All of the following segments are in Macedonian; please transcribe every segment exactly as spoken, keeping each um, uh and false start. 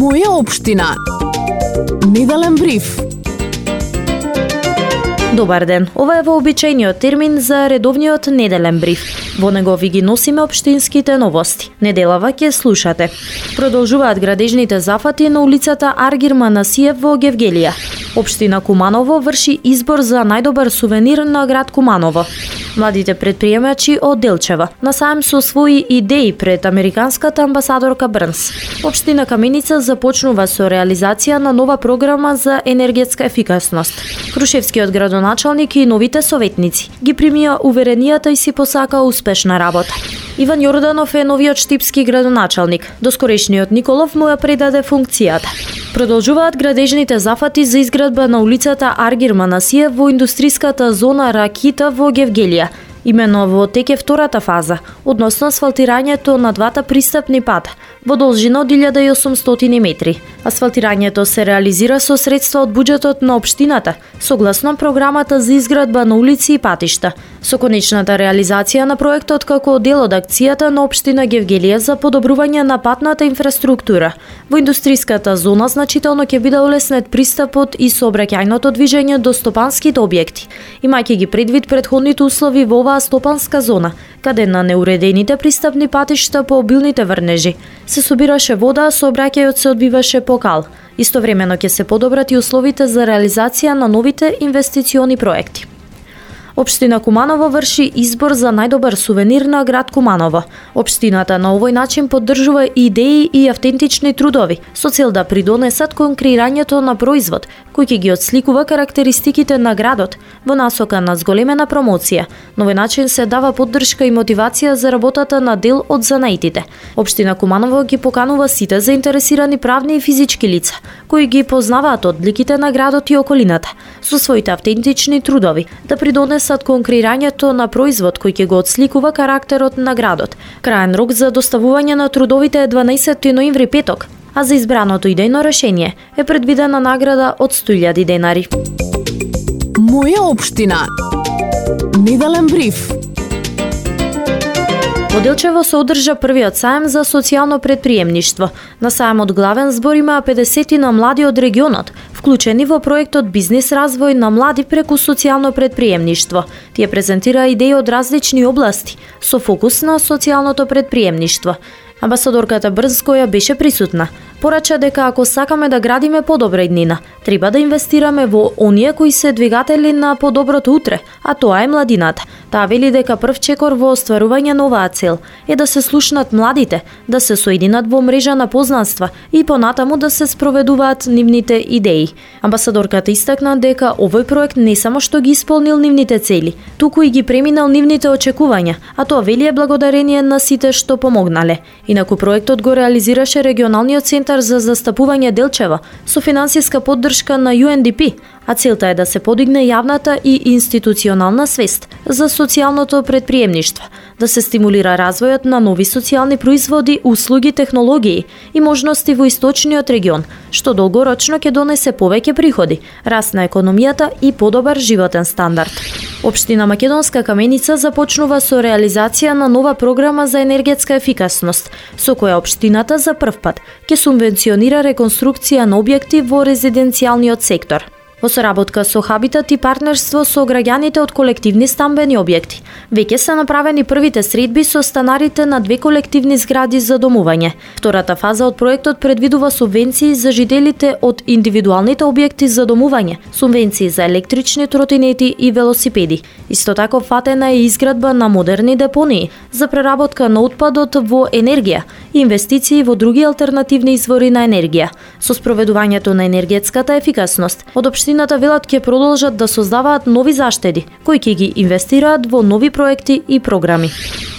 Моја општина. Неделен бриф. Добар ден, ова е вообичајниот термин за редовниот неделен бриф. Во него ви ги носиме општинските новости. Неделава ќе слушате. Продолжуваат градежните зафати на улицата Аргир Манасиев во Гевгелија. Општина Куманово врши избор за најдобар сувенир на град Куманово. Младите предприемачи од Делчева на саем со своји идеи пред американската амбасадорка Брнс. Општина Каменица започнува со реализација на нова програма за енергетска ефикасност. Крушевскиот градоначалник и новите советници ги примија уверенијата и си посака успешна работа. Иван Јорданов е новиот штипски градоначалник. Доскорешниот Николов му ја предаде функцијата. Продолжуваат градежните зафати за изградба на улицата Аргир Манасиев во индустриската зона Ракита во Гевгелија. Имено во тек е втората фаза, односно асфалтирањето на двата пристапни пата, во должина од илјада и осумстотини метри. Асфалтирањето се реализира со средства од буџетот на општината, согласно програмата за изградба на улици и патишта, со конечната реализација на проектот како дел од акцијата на општина Гевгелија за подобрување на патната инфраструктура. Во индустриската зона значително ќе биде олеснет пристапот и сообраќајното движење до стопанските објекти, имајќи ги предвид претходните услови во оваа стопанска зона, каде на неуредените пристапни патишта по обилните врнежи се собираше вода, а сообраќајот се одбиваше по кал. Истовремено ќе се подобрат и условите за реализација на новите инвестициони проекти. Општина Куманово врши избор за најдобар сувенир на град Куманово. Општината на овој начин поддржува идеи и автентични трудови со цел да придонесат кон креирањето на производ кој ќе ги отсликува карактеристиките на градот во насока на зголемена промоција. На овој начин се дава поддршка и мотивација за работата на дел од занаитите. Општина Куманово ги поканува сите заинтересирани правни и физички лица кои ги познаваат одликите на градот и околината со своите автентични трудови да придонесат кон креирањето на производ кој ќе го отсликува карактерот на градот. Краен рок за доставување на трудовите е дванаесетти ноември петок, а за избраното идејно решение е предвидена награда од сто илјади денари. Моја општина. Неделен бриф. Во Делчево се одржа првиот саем за социјално предприемништво. На саемот главен збор имаа педесетина млади од регионот, вклучени во проектот Бизнис развој на млади преку социјално предприемништво. Тие презентираа идеи од различни области, со фокус на социјалното предприемништво. Амбасадорката Брнс, која беше присутна, порача дека ако сакаме да градиме подобра иднина, треба да инвестираме во оние кои се двигатели на подоброто утре, а тоа е младината. Таа вели дека прв чекор во остварување на оваа цел е да се слушнат младите, да се соединат во мрежа на познанства и понатаму да се спроведуваат нивните идеи. Амбасадорката истакна дека овој проект не само што ги исполнил нивните цели, туку и ги преминал нивните очекувања, а тоа вели е благодарение на сите што помогнале. Инаку проектот го реализираше регионалниот центар за застапување Делчева со финансиска поддршка на Ю Ен Ди Пи, а целта е да се подигне јавната и институционална свест за социјалното предприемништво, да се стимулира развојот на нови социјални производи, услуги, технологии и можности во источниот регион, што долгорочно ќе донесе повеќе приходи, раст на економијата и подобар животен стандард. Општина Македонска Каменица започнува со реализација на нова програма за енергетска ефикасност, со која општината за прв пат ќе субвенционира реконструкција на објекти во резиденцијалниот сектор. Во соработка со Хабитат и партнерство со граѓаните од колективни стамбени објекти, веќе се направени првите средби со станарите на две колективни згради за домување. Втората фаза од проектот предвидува субвенции за жителите од индивидуалните објекти за домување, субвенции за електрични тротинети и велосипеди. Исто така фатена е изградба на модерни депонии за преработка на отпадот во енергија и инвестиции во други алтернативни извори на енергија. Со спроведувањето на енергетската ефикасност, од општината велат ќе продолжат да создаваат нови заштеди, кои ќе ги инвестираат во нови проекти и програми.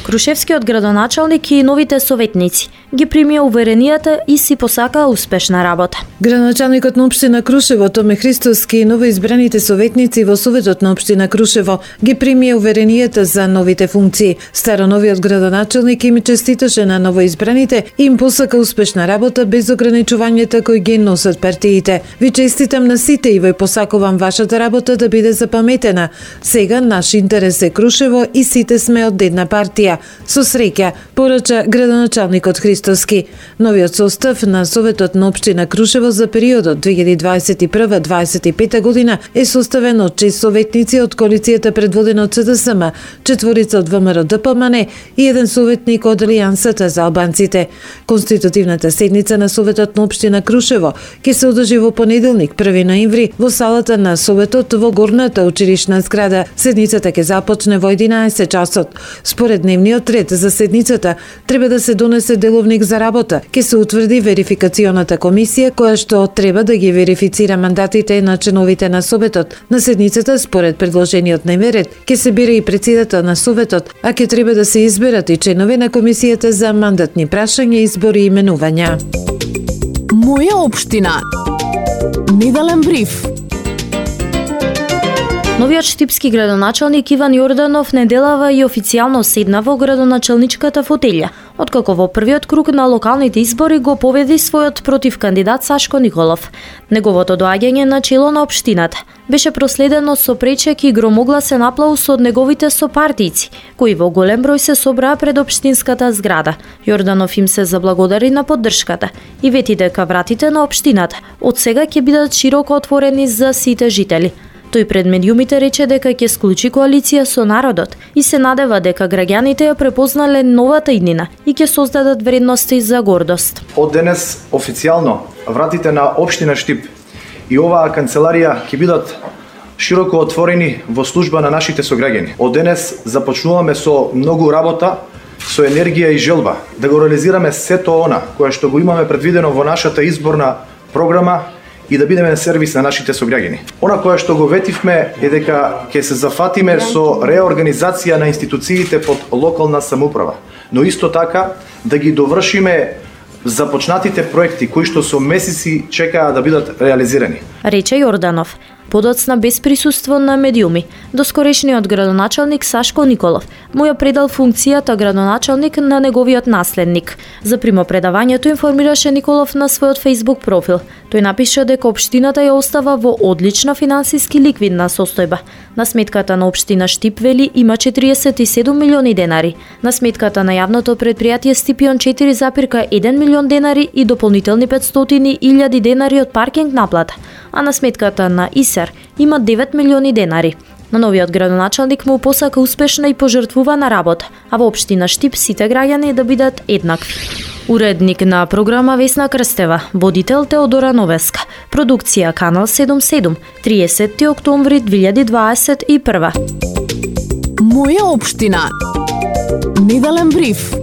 Крушевскиот градоначалник и новите советници ги примија уверенијата и си посака успешна работа. Градоначалникот на општина Крушево Томе Христоски и новоизбраните советници во Советот на општина Крушево ги примија уверенијата за новите функции. Староновиот градоначалник им честиташе на новоизбраните и им посака успешна работа без ограничувањата кои ги носат партиите. Ви честитам на сите и ви посакувам вашата работа да биде запаметена. Сега наш интерес е Крушево и сите сме од една партија. Со среќа, порача градоначалникот Христос Христоски. Новиот состав на Советот на општина Крушево за периодот две илјади дваесет и прва до дваесет и пета година е составен од шест советници од коалицијата предводена од С Д С М, четворица од В М Р Д П М Н и еден советник од Алијансата за албанците. Конститутивната седница на Советот на општина Крушево ќе се одржи во понеделник, први ноември, во салата на Советот во горната училишна зграда. Седницата ќе започне во единаесет часот. Според дневниот ред за седницата треба да се донесе деловник за работа. Ќе се утврди верификационата комисија која што треба да ги верифицира мандатите на членовите на Советот. На седницата според предложениот дневен ред ќе се бира и председател на Советот, а ќе треба да се изберат и членови на комисијата за мандатни прашања, избори и именувања. Моја општина. Неделен бриф. Новиот штипски градоначалник Иван Јорданов неделава и официјално седна во градоначалничката фотелја, откако во првиот круг на локалните избори го победи својот против кандидат Сашко Николов. Неговото доаѓање на чело на општината беше проследено со пречек и громогласен аплауз од неговите сопартијци, кои во голем број се собраа пред општинската зграда. Јорданов им се заблагодари на поддршката и вети дека вратите на општината од сега ќе бидат широко отворени за сите жители. Тој пред медиумите рече дека ќе склучи коалиција со народот и се надева дека граѓаните ја препознале новата иднина и ќе создадат вредности за гордост. Од денес официјално вратите на општина Штип и оваа канцеларија ќе бидат широко отворени во служба на нашите сограѓани. Од денес започнуваме со многу работа, со енергија и желба да го реализираме сето она кое што го имаме предвидено во нашата изборна програма и да бидеме сервис на нашите сограѓани. Она кое што го ветивме е дека ќе се зафатиме со реорганизација на институциите под локална самоуправа, но исто така да ги довршиме започнатите проекти кои што со месеци чекаат да бидат реализирани. Рече Јорданов, подоцна без присуство на медиуми. Доскорешниот градоначалник Сашко Николов му ја предал функцијата градоначалник на неговиот наследник. За примопредавањето информираше Николов на својот Facebook профил. Тој напиша дека општината ја остава во одлична финансиски ликвидна состојба. На сметката на општина Штип, вели, има четириесет и седум милиони денари. На сметката на јавното предпријатие Стипион четири запирка еден милион денари и дополнителни петстотини илјади денари од паркинг наплата. А на сметката на ИСЕР има девет милиони денари. На новиот градоначалник му посака успешна и пожртвувана работа, а во општина Штип сите граѓани да бидат еднакви. Уредник на програма Весна Крстева, водител Теодора Новеска, продукција Канал седумдесет и седум, триесети октомври две илјади дваесет и прва. Моја општина. Неделен бриф.